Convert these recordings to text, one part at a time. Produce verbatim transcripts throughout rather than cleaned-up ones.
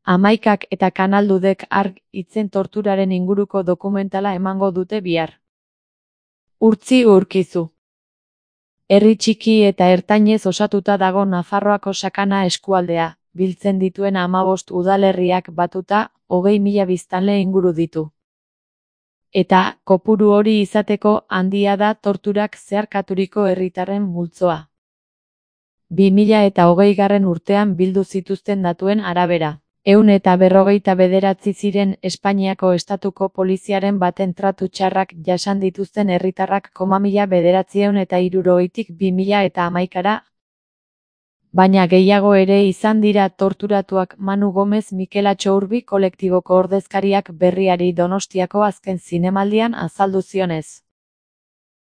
Hamaikak eta Kanaldudek arg hitzen torturaren inguruko dokumentala emango dute bihar. Urtzi Urkizu. Herri txiki eta ertainez osatuta dago Nafarroako Sakana eskualdea, biltzen dituen hamabost udalerriak batuta, hogei mila biztanle inguru ditu. Eta, kopuru hori izateko handia da torturak zeharkaturiko herritarren multzoa. bi mila eta hogeigarren urtean bildu zituzten datuen arabera. Ehun eta berrogeita bederatzi ziren Espainiako estatuko poliziaren baten tratu txarrak jasan dituzten herritarrak koma mila bederatziehun eta hirurogeitik bi mila eta hamaikara. Baina gehiago ere izan dira torturatuak. Manu Gomez Mikel Atxourbi kolektiboko ordezkariak Berriari Donostiako azken zinemaldian azaldu zionez.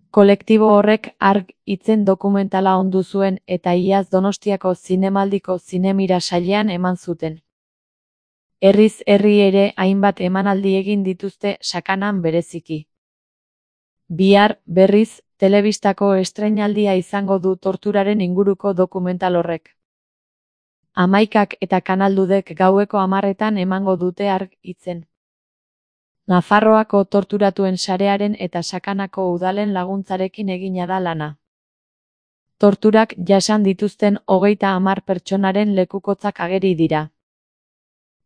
Kolektibo horrek arg hitzen dokumentala ondu zuen eta iaz Donostiako zinemaldiko zinemira sailean eman zuten. Herriz herri ere hainbat emanaldi egin dituzte Sakanan bereziki. Bihar, berriz, telebistako estreinaldia izango du torturaren inguruko dokumental horrek. Hamaikak eta Kanaldudek gaueko hamarretan emango dute arg hitzen. Nafarroako torturatuen sarearen eta Sakanako udalen laguntzarekin egina da lana. Torturak jasan dituzten hogeita hamar pertsonaren lekukotzak ageri dira.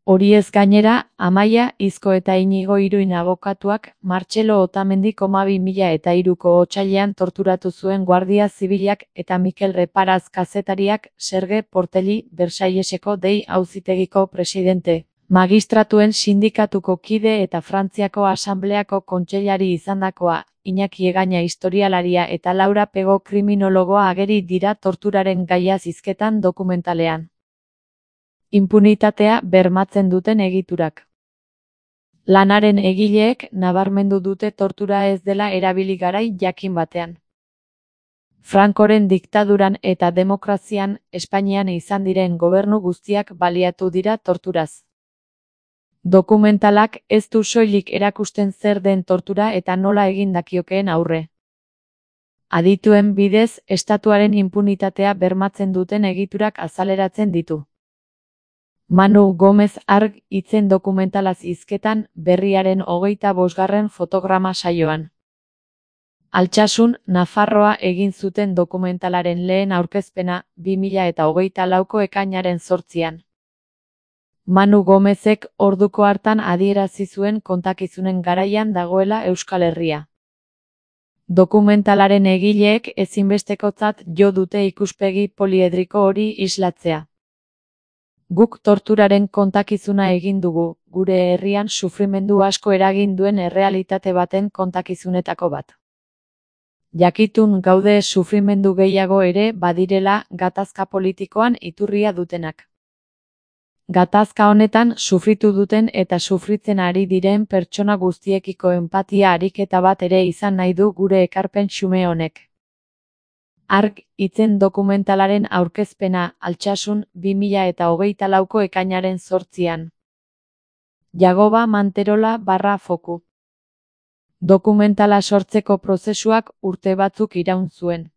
Horiez gainera, Amaia Izko eta Inigo Iruin abokatuak Martxelo Otamendi koma bi mila eta hiruko otsailean torturatu zuen Guardia Zibilak eta Mikel Reparaz kazetariak Serge Portelli Versailleseko dei auzitegiko presidente, magistratuen sindikatuko kide eta Frantziako Asambleako kontseilari izandakoa, Iñaki Egaña historialaria eta Laura Pego kriminologoa ageri dira torturaren gaia hizketan dokumentalean. Inpunitatea bermatzen duten egiturak. Lanaren egileek nabarmendu dute tortura ez dela erabili garai jakin batean. Francoren diktaduran eta demokrazian Espainian izan diren gobernu guztiak baliatu dira torturaz. Dokumentalak ez du soilik erakusten zer den tortura eta nola egin dakiokeen aurre. Adituen bidez, estatuaren inpunitatea bermatzen duten egiturak azaleratzen ditu. Manu Gomez arg hitzen dokumentalaz hizketan Berriaren hogeita bosgarren fotograma saioan. Altsasun, Nafarroa egin zuten dokumentalaren lehen aurkezpena bi mila eta hogeita lauko ekainaren zortzian. Manu Gomezek orduko hartan adierazi zuen kontakizunen garaian dagoela Euskal Herria. Dokumentalaren egileek ezinbestekotzat jo dute ikuspegi poliedriko hori islatzea. Guk torturaren kontakizuna egin dugu, gure herrian sufrimendu asko eragin duen errealitate baten kontakizunetako bat. Jakitun gaude sufrimendu gehiago ere badirela gatazka politikoan iturria dutenak. Gatazka honetan sufritu duten eta sufritzen ari diren pertsona guztiekiko enpatia ariketa bat ere izan nahi du gure ekarpen xume honek. Arg hitzen dokumentalaren aurkezpena Altsasun bi mila eta hogeita lauko ekainaren zortzian. Jagoba Manterola barra foku. Dokumentala sortzeko prozesuak urte batzuk iraun zuen.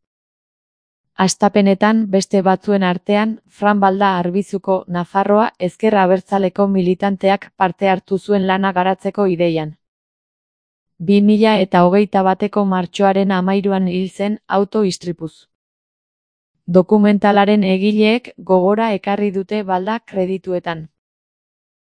Hastapenetan beste batzuen artean, Fran Balda Arbizuko Nafarroa ezker abertzaleko militanteak parte hartu zuen lana garatzeko ideian. bi mila eta hogeita bateko martxoaren hamairuan hil zen auto-istripuz. Dokumentalaren egileek gogora ekarri dute Balda kredituetan.